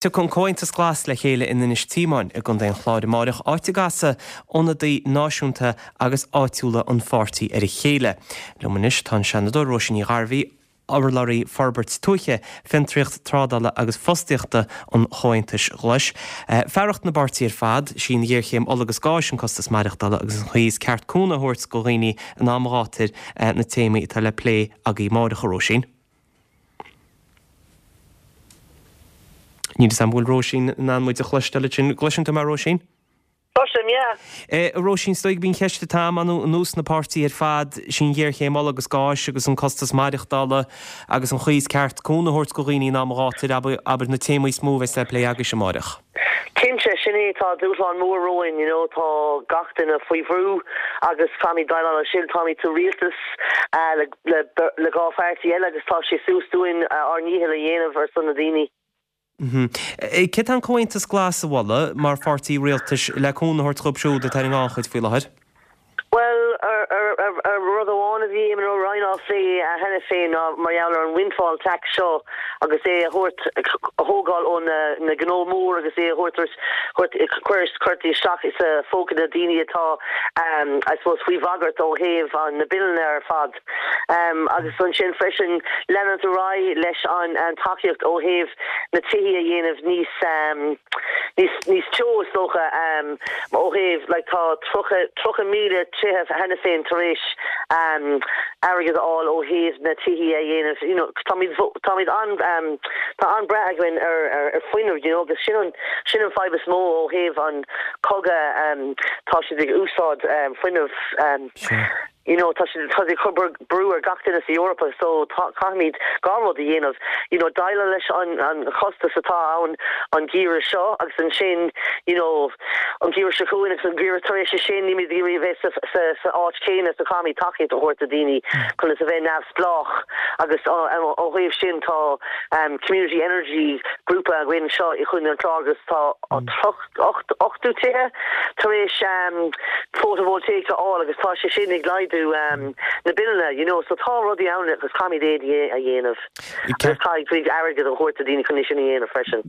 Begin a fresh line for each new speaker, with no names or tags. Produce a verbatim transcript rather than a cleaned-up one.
Tiocfaidh an Comhaontas Glas le chéile in Inis Tíomáin i gContae an Chláir amárach áit a gcasfaidh ionadaithe náisiúnta agus áitiúla an pháirtí ar a chéile. Liom anois tá an Seanadóir Róisín Ní Ghairbhí, urlabhraí forbairt tuaithe, fiontraíocht trádála agus fostaíochta an Chomhaontais Ghlais. Fearacht na bpáirtithe ar fad, sí an ghéarchéim ola agus gáis an costas maireachtála agus an chaoi is ceart cúnamh a thabhairt do dhaoine in am gátair na téamaí atá le plé agaibh amárach a Róisín. Níl a fhios agam an bhfuil Róisín in ann muid a chloisteáil ansin. Gcloiseann tú mé Róisín?
Cloisim, yeah.
A Róisín, is dóigh gurb í an cheist atá agam anuas na páirtithe ar fad, sí an ghéarchéim ola agus gáis agus an costas maireachtála agus an chaoi is ceart cúnamh a thabhairt do dhaoine in am gátair, abair na téamaí is mó a bheas le plé agaibhse amárach.
Cinnte, sin é, tá dúshlán mór romhainn, you know, tá gach duine faoi bhrú agus caithfimid déileáil leis sin, táimid sa rialtas le le le dhá pháirtí eile agus tá sé suas dúinn ár ndícheall a dhéanamh ar son na daoine.
Céard tá an Comhaontas Glas a mholadh mar pháirtí rialtais le cúnamh a thabhairt dóibh siúd atá ar an ngannchuid faoi láthair?
Bhuel, rud amháin a bhí Eamon Ryan á phlé cheana féin ná mar gheall ar an windfall tax seo agus é a thabhairt, a thógáil ó na gnó mór agus é a thabhairt, cuir isteach i phóca na daoine atá, I suppose, faoi bhagairt ó thaobh na billeanna ar fad. Agus ansin freisin leanúint ar aghaidh leis an tacaíocht ó thaobh na tithí a dhéanamh níos níos níos teo is dócha ó thaobh like tá tríocha tríocha míle tithe cheana féin tar éis airgead a fháil ó thaobh na tithí a dhéanamh you know táimid táimid an tá an-brath againn ar ar ar fuinneamh you know agus sin an sin an fadhb is mó ó thaobh an cogadh tá siad ag úsáid fuinneamh you know tá siad tá siad ag cur brú ar gach duine sa Eoraip so caithfimid dhá rud a dhéanamh you know déileáil leis an an chostas atá ann an geimhreadh seo agus ansin you know an geimhreadh seo chugainn agus an geimhreadh tar éis sin nílimid ag iarraidh a bheith sa sa sa áit chéanna so caithfimid tacaíocht a thabhairt do daoine chun a bheith neamhspleách agus ó thaobh sin tá um, community energy grúpa againn seo i gContae an Chláir agus tá ocht ochtó tithe tar éis um, photovoltaic a fháil agus tá sé sin ag laghdú um, na billeanna you know so tá rudaí ann agus caithfimid é a dhéanamh caithfidh airgead a thabhairt do daoine chun sin a dhéanamh freisin.